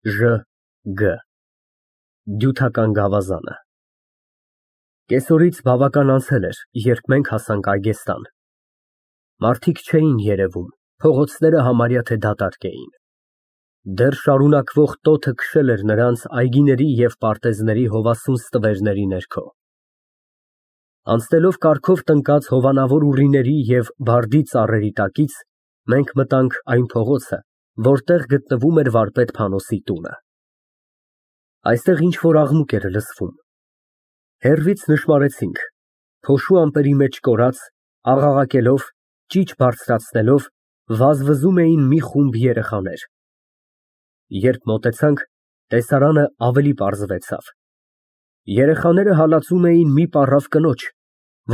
Ժ Գ Դյութական գավազանը։ Կեսօրից բավական անցել էր, երբ մենք հասանք Այգեստան։ Մարդիկ չէին երևում, փողոցները համարյա թե դատարկ էին։ Դեռ շարունակվող տոթը քշել էր նրանց այգիների և պարտեզների հովասուն ստվերների ներքո։ Անցնելով կարգով տնկած հովանավոր ուռիների և բարդի ծառերի տակից, մենք մտանք այն փողոցը, որտեղ գտնվում էր վարպետ Փանոսի տունը։ Այստեղ ինչ֊որ աղմուկ էր լսվում։ Հեռվից նշմարեցինք, փոշու ամպերի մեջ կորած, աղաղակելով, ճիչ բարձրացնելով, վազվզում էին մի խումբ երեխաներ։ Երբ մոտեցանք, տեսարանը ավելի պարզվեցավ։ Երեխաները հալածում էին մի պառավ կնոջ,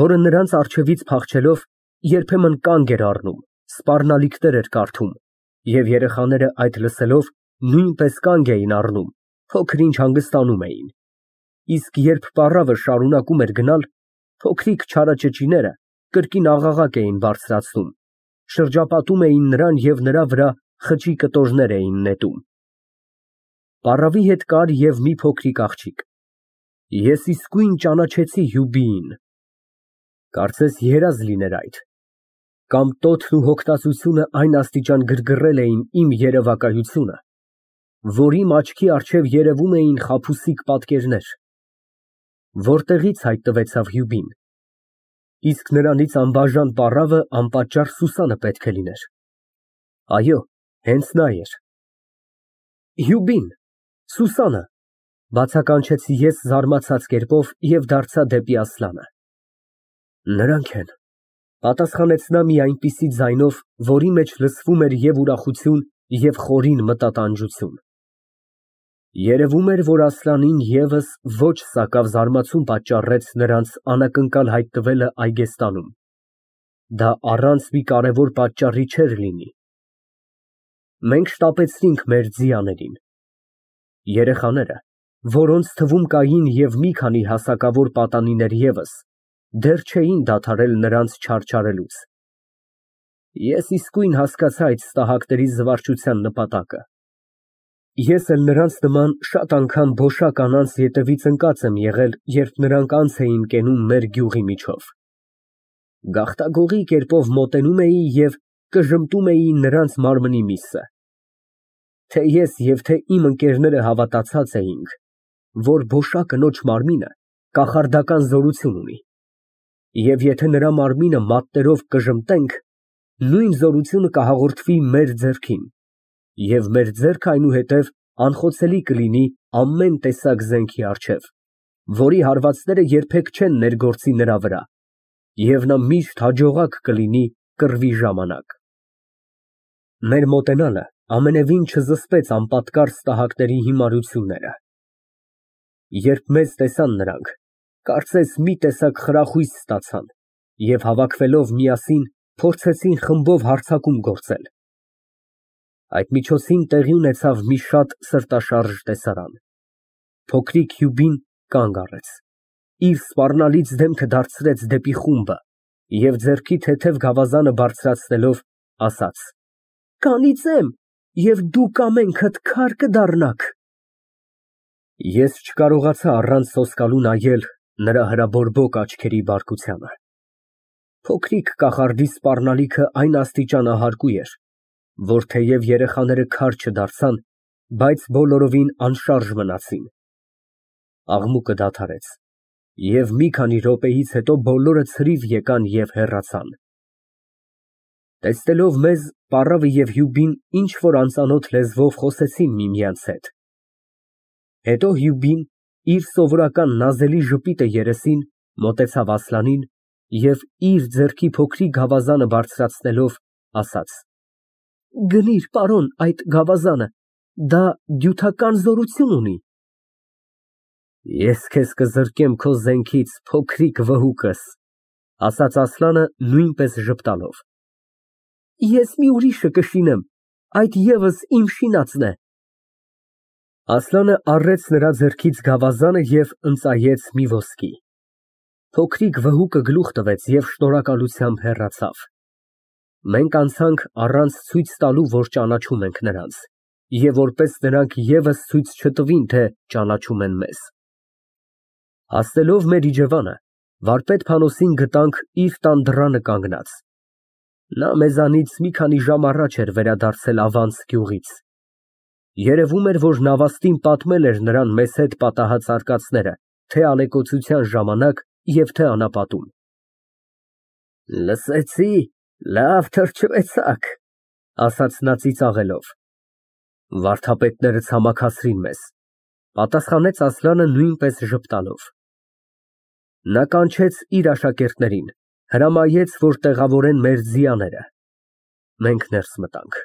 որը նրանց առջևից փախչելով, երբեմն կանգ էր առնում, սպառնալիքներ էր կարդում, և երեխաները այդ լսելով նույնպես կանգ էին առնում, փոքր-ինչ հանգստանում էին, իսկ երբ պառավը շարունակում էր գնալ, փոքրիկ չարաճճիները կրկին աղաղակ էին բարձրացնում, շրջապատում էին նրան և նրա վրա խճի կտորներ էին նետում։ Պառավի հետ կար և մի փոքրիկ աղջիկ։ Ես իսկույն ճանաչեցի Հյուբիին։ Կարծես երազ լիներ այդ, կամ տոթն ու հոգնածությունը այն աստիճան գրգռել էին իմ երևակայությունը, որ իմ աչքի առջև երևում էին խաբուսիկ պատկերներ։ Որտեղի՞ց հայտնվեցավ Հյուբին, իսկ նրանից անբաժան պառավը անպատճառ Սուսանը պետք է լիներ։ Այո, հենց նա էր։ Հյուբին, Սուսանը, բացականչեցի ես զարմացած կերպով և դարձա դեպի Ասլանը։ Նրանք են, պատասխանեց նա մի այնպիսի ձայնով, որի մեջ լսվում էր և ուրախություն, և խորին մտատանջություն։ Երևում էր, որ Ասլանին ևս ոչ սակավ զարմացում պատճառեց նրանց անակնկալ հայտնվելը Այգեստանում։ Դա առանց մի կարևոր պատճառի չէր լինի։ Մենք շտապեցրինք մեր ձիաներին։ Երեխաները, որոնց թվում կային և մի քանի հասակավոր պատանիներ ևս, դեռ չէին դադարել նրանց չարչարելուց։ Ես իսկույն հասկացա այդ ստահակների զվարճության նպատակը։ Ես էլ նրանց նման շատ անգամ փոշա կանանց ետևից ընկած եմ եղել, երբ նրանք անց էին կենում մեր գյուղի միջով։ Գաղտագողի կերպով մոտենում էի և կժմտում էի նրանց մարմնի միսը։ Թե ես և թե իմ ընկերները հավատացած էինք, որ փոշա կնոջ մարմինը կախարդական զորություն ունի, և եթե նրա մարմինը մատներով կժմտենք, նույն զորությունը կհաղորդվի մեր ձեռքին, և մեր ձեռքը այնուհետև անխոցելի կլինի ամեն տեսակ զենքի առջև, որի հարվածները երբեք չեն ներգործի նրա վրա, և նա միշտ հաջողակ կլինի կռվի ժամանակ։ Մեր մոտենալը ամենևին չզսպեց անպատկառ ստահակների հիմարությունները։ Երբ մեզ տեսան նրանք, կարծես մի տեսակ խրախույս ստացան և հավաքվելով միասին փորձեցին խմբով հարձակում գործել։ Այդ միջոցին տեղի ունեցավ մի շատ սրտաշարժ տեսարան։ Փոքրիկ Հյուբին կանգ առեց, իր սպառնալից դեմքը դարձրեց դեպի խումբը և ձեռքի թեթև գավազանը բարձրացնելով, ասաց. «Կանիծեմ, և դուք ամենքդ քար կդառնաք»։ Ես չկարողացա առանց սոսկալու նայել նրա հրաբորբոք աչքերի բարկությանը։ Փոքրիկ կախարդի սպառնալիքը այն աստիճանահարկու էր, որ թեև երեխաները քար չդարձան, բայց բոլորովին անշարժ մնացին։ Աղմուկը դադարեց, և մի քանի րոպեից հետո բոլորը ցրիվ եկան և հեռացան։ Տեսնելով մեզ, պառավը և Հյուբին ինչ֊որ անծանոթ լեզվով խոսեցին միմյանց հետ։ Հետո Հյուբին, իր սովորական նազելի ժպիտը երեսին, մոտեցավ Ասլանին և իր ձեռքի փոքրիկ գավազանը բարձրացնելով, ասաց. «Գնիր, պարոն, այդ գավազանը, դա դյութական զորություն ունի»։ Ես քեզ կզրկեմ քո զենքից, փոքրիկ վհուկս, ասաց Ասլանը նույնպես ժպտալով։ Ես մի ուրիշը կշինեմ, այդ ևս իմ շինածն է։ Ասլանը առեց նրա ձեռքից գավազանը և ընծայեց մի ոսկի։ Փոքրիկ վհուկը գլուխ տվեց և շնորհակալությամբ հեռացավ։ Մենք անցանք առանց ցույց տալու, որ ճանաչում ենք նրանց, և որպես նրանք ևս ցույց չտվին, թե ճանաչում են մեզ։ Հասնելով մեր իջևանը, վարպետ Փանոսին գտանք իր տան դռանը կանգնած։ Նա մեզանից մի քանի ժամ առաջ էր վերադարձել Ավանց գյուղից։ Երևում էր, որ նավաստին պատմել էր նրան մեզ հետ պատահած արկածները, թե ալեկոծության ժամանակ և թե անապատում։ Լսեցի, լավ թրջվեցաք, ասաց նա ծիծաղելով։ Վարդապետները ցամաքացրին մեզ, պատասխանեց Ասլանը նույնպես ժպտալով։ Նա կանչեց իր աշակերտներին, հրամայեց, որ տեղավորեն մեր ձիաները։ Մենք ներս մտանք։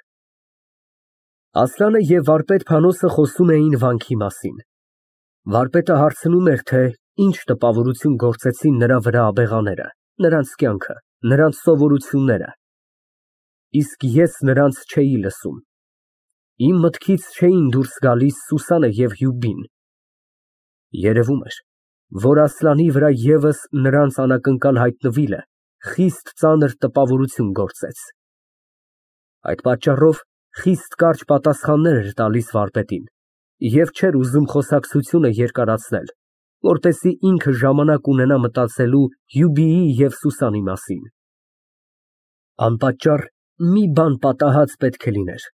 Ասլանը և վարպետ Փանոսը խոսում էին վանքի մասին։ Վարպետը հարցնում էր, թե ինչ տպավորություն գործեցին նրա վրա աբեղաները, նրանց կյանքը, նրանց սովորությունները։ Իսկ ես նրանց չէի լսում։ Իմ մտքից չէին դուրս գալիս Սուսանը և Հյուբին։ Երևում էր, որ Ասլանի վրա ևս նրանց անակնկալ հայտնվելը խիստ ծանր տպավորություն գործեց։ Այդ պատճառով խիստ կարճ պատասխաններ էր տալիս վարպետին և չէր ուզում խոսակցությունը երկարացնել, որպեսզի ինքը ժամանակ ունենա մտածելու Հյուբիի և Սուսանի մասին։ Անպատճառ մի բան պատահած պետք է լիներ,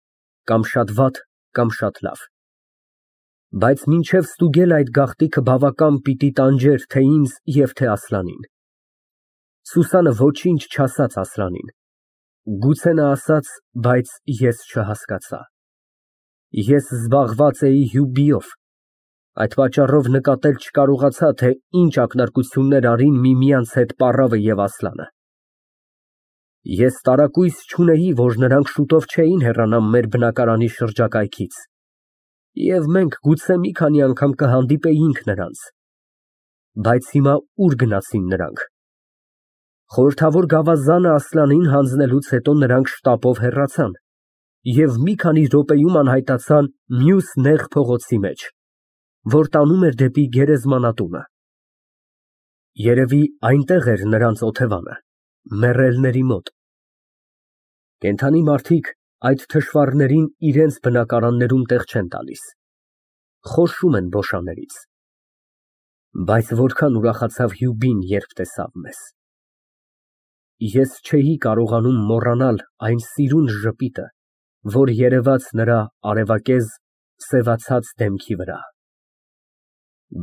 կամ շատ վատ, կամ շատ լավ։ Բայց մինչև ստուգել այդ գաղտնիքը բավական պիտի տանջեր թե ինձ և թե Ասլանին։ Սուսանը ոչինչ չասաց Ասլանին։ Գուցե նա ասաց, բայց ես չհասկացա։ Ես զբաղված էի Հյուբիով, այդ պատճառով նկատել չկարողացա, թե ինչ ակնարկություններ արին միմյանց հետ պառավը և Ասլանը։ Ես տարակույս չունեի, որ նրանք շուտով չէին հեռանա մեր բնակարանի շրջակայքից, և մենք գուցե մի քանի անգամ կհանդիպեինք նրանց։ Բայց հիմա ուր գնացին նրանք։ Խորհրդավոր գավազանը Ասլանին հանձնելուց հետո նրանք շտապով հեռացան և մի քանի րոպեում անհայտացան մյուս նեղ փողոցի մեջ, որ տանում էր դեպի գերեզմանատունը։ Երևի այնտեղ էր նրանց օթևանը, մեռելների մոտ։ Կենդանի մարդիկ այդ թշվառներին իրենց բնակարաններում տեղ չեն տալիս, խոշում են բոշաներից։ Բայց որքան ուրախացավ Հյուբին, երբ տեսավ մեզ։ Ես չէի կարողանում մոռանալ այն սիրուն ժպիտը, որ երևաց նրա արևակեզ, սևացած դեմքի վրա։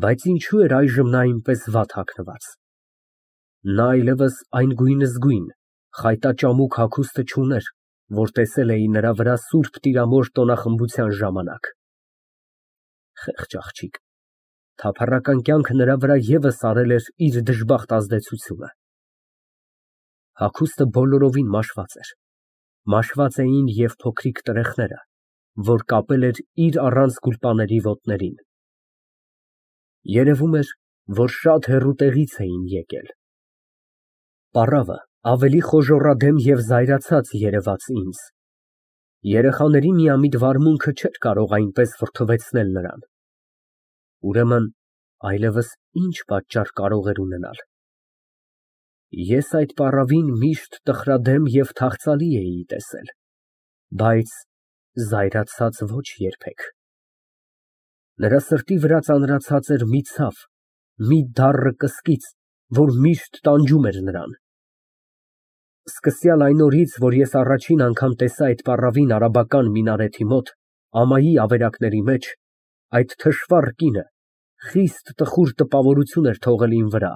Բայց ինչու էր այժմ նա այնպես վատ հագնված։ Նա այլևս այն գույնզգույն, խայտաճամուկ հագուստը չուներ, որ տեսել էի նրա վրա Սուրբ Տիրամոր տոնախմբության ժամանակ։ Խեղճ աղջիկ, թափառական կյանքը նրա վրա ևս արել էր իր դժբախտ ազդեցությունը։ Հագուստը բոլորովին մաշված էր, մաշված էին և փոքրիկ տրեխները, որ կապել էր իր առանց գուլպաների ոտներին։ Երևում էր, որ շատ հեռու տեղից էին եկել։ Պառավը ավելի խոժոռադեմ և զայրացած երևաց ինձ։ Երեխաների միամիտ վարմունքը չէր կարող այնպես վրդովեցնել նրան։ Ուրեմն այլևս ինչ պատճառ կարող էր ունենալ։ Ես այդ պառավին միշտ տխրադեմ և թախծալի էի տեսել, բայց զայրացած ոչ երբեք։ Նրա սրտի վրա ծանրացած էր մի ցավ, մի դառն կսկիծ, որ միշտ տանջում էր նրան։ Սկսյալ այն օրից, որ ես առաջին անգամ տեսա այդ պառավին արաբական մինարեթի մոտ, ամայի ավերակների մեջ, այդ թշվառ կինը խիստ տխուր տպավորություն էր թողել իմ վրա,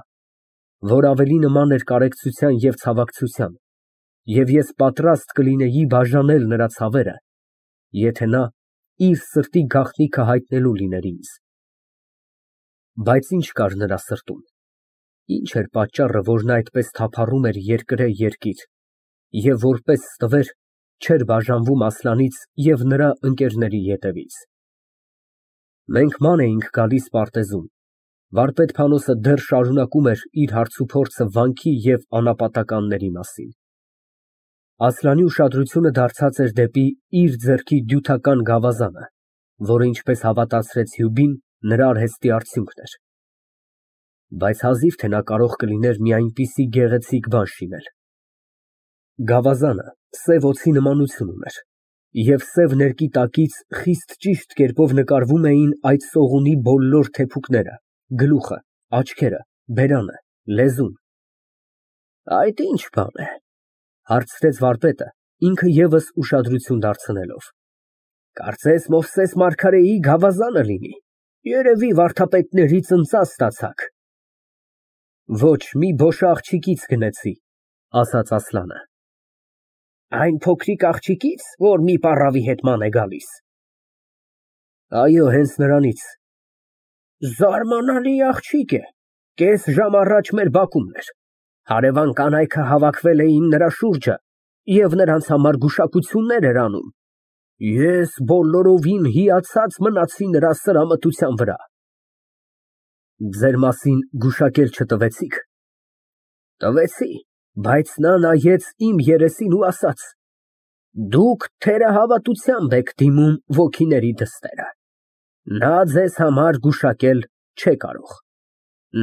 որ ավելի նման էր կարեկցության և ցավակցության, և ես պատրաստ կլինեի բաժանել նրա ցավերը, եթե նա իր սրտի գաղտնիքը հայտնելու լիներ ինձ։ Բայց ինչ կար նրա սրտում։ Ինչ էր պատճառը, որ նա այդպես թափառում էր երկրե երկիր և որպես ստվեր չէր բաժանվում Ասլանից և նրա ընկերների ետևից։ Մենք ման էինք գալիս պարտեզում, վարպետ Փանոսը դեռ շարունակում էր իր հարցուփորձը վանքի և անապատականների մասին։ Ասլանի ուշադրությունը դարձած էր դեպի իր ձեռքի դյութական գավազանը, որը, ինչպես հավատացրեց Հյուբին, նրա արհեստի արդյունքն էր։ Բայց հազիվ թե նա կարող կլիներ մի այնպիսի գեղեցիկ բան շինել։ Գավազանը սև օձի նմանություն ուներ, Եվ սև ներկի տակից խիստ ճիշտ կերպով նկարվում էին այդ սողունի բոլոր թեփուկները, գլուխը, աչքերը, բերանը, լեզուն։ Այդ ի՞նչ բան է, հարցրեց վարպետը, ինքը ևս ուշադրություն դարձնելով։ Կարծես Մովսես Մարգարեի գավազանը լինի, երևի վարդապետների ծնծաղ ստացաք։ Ոչ, մի բոշ աղջիկից գնեցի, ասաց Ասլանը։ Այն փոքրիկ աղջիկից, որ մի պառավի հետ ման է գալիս։ Այո, հենց նրանից։ Զարմանալի աղջիկ է, կես ժամ առաջ մեր բակումն էր։ Հարևան կանայքը հավաքվել էին նրա շուրջը և նրանց համար գուշակություններ էր անում։ Ես բոլորովին հիացած մնացի նրա սրամտության վրա։ Ձեր մասին գուշակել չտվեցիք։ Տվեցի, բայց նա նայեց իմ երեսին ու ասաց. Դուք թերահավատությամբ եք դիմում ոգիների դստերը։ Նա ձեզ համար գուշակել չէ կարող։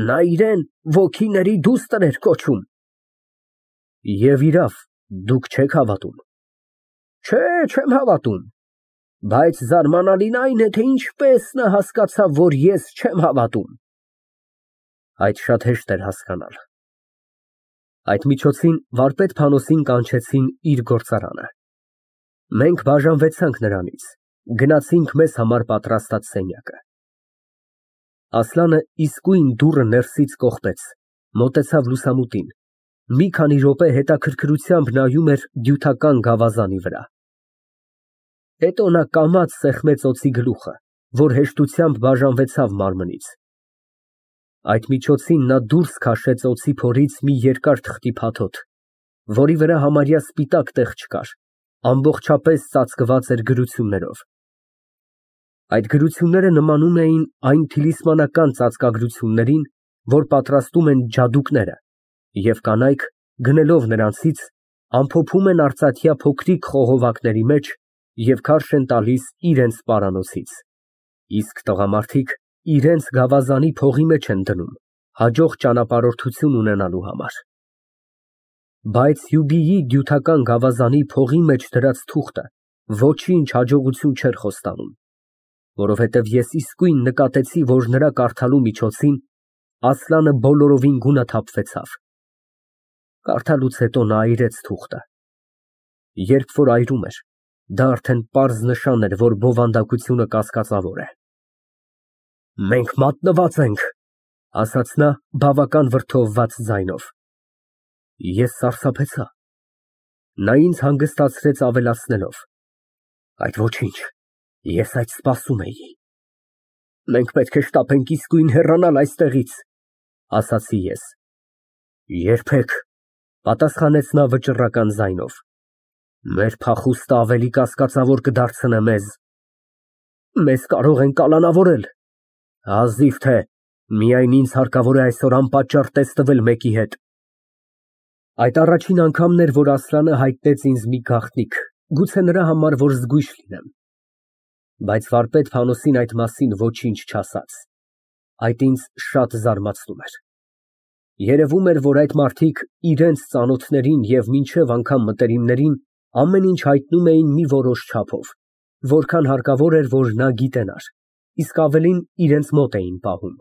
Նա իրեն ոգիների դուստր էր կոչում։ Եվ իրավ, դուք չեք հավատում։ Չէ, չեմ հավատում։ Բայց զարմանալին այն է, թե ինչպես նա հասկացավ, որ ես չեմ հավատում։ Այդ շատ հեշտ էր հասկանալ։ Այդ միջոցին վարպետ Փանոսին կանչեցին իր գործարանը։ Մենք բաժանվեցանք նրանից, գնացինք մեզ համար պատրաստած սենյակը։ Ասլանը իսկույն դուռը ներսից կողպեց, մոտեցավ լուսամուտին, մի քանի րոպե հետաքրքրությամբ նայում էր դյութական գավազանի վրա։ Հետո նա կամաց սեղմեց օձի գլուխը, որ հեշտությամբ բաժանվեցավ մարմնից։ Այդ միջոցին նա դուրս քաշեց օձի փորից մի երկար թղթի փաթոթ, որի վրա համարյա սպիտակ տեղ չկար, ամբողջապես ծածկված էր գրություններով։ Այդ գրությունները նմանում էին այն թիլիսմանական ծածկագրություններին, որ պատրաստում են ջադուկները, և կանայք, գնելով նրանցից, ամփոփում են արծաթյա փոքրիկ խողովակների մեջ և քարշ են տալիս իրենց պարանոցից, իսկ տղամարդիկ իրենց գավազանի փողի մեջ են դնում, հաջող ճանապարհորդություն ունենալու համար։ Բայց Հյուբիի դյութական գավազանի փողի մեջ դրած թուղթը ոչինչ հաջողություն չէր խոստանում, որովհետև ես իսկույն նկատեցի, որ նրա կարդալու միջոցին Ասլանը բոլորովին գունաթափվեցավ։ Կարդալուց հետո նա այրեց թուղթը։ Երբ որ այրում էր, դա արդեն պարզ նշան էր, որ բովանդակությունը կասկածավոր է։ Մենք մատնված ենք, ասաց նա բավական վրդովված ձայնով։ Ես սարսափեցա։ Նա ինձ հանգստացրեց ավելացնելով. Այդ ոչինչ, ես այդ սպասում էի։ Մենք պետք է շտապենք իսկույն հեռանալ այստեղից, ասացի ես։ Երբեք, պատասխանեց նա վճռական ձայնով։ Մեր փախուստը ավելի կասկածավոր կդարձնե մեզ։ Մեզ կարող են կալանավորել։ Հազիվ թե, միայն ինձ հարկավոր է այսօր անպատճառ տեսնվել մեկի հետ։ Այդ առաջին անգամն էր, որ Ասլանը հայտնեց ինձ մի գաղտնիք, գուցե նրա համար, որ զգույշ լինեմ։ Բայց վարպետ Փանոսին այդ մասին ոչինչ չասաց։ Այդ ինձ շատ զարմացնում էր։ Երևում էր, որ այդ մարդիկ իրենց ծանոթներին և մինչև անգամ մտերիմներին ամեն ինչ հայտնում էին մի որոշ չափով, որքան հարկավոր էր, որ նա գիտենար, իսկ ավելին իրենց մոտ էին պահում։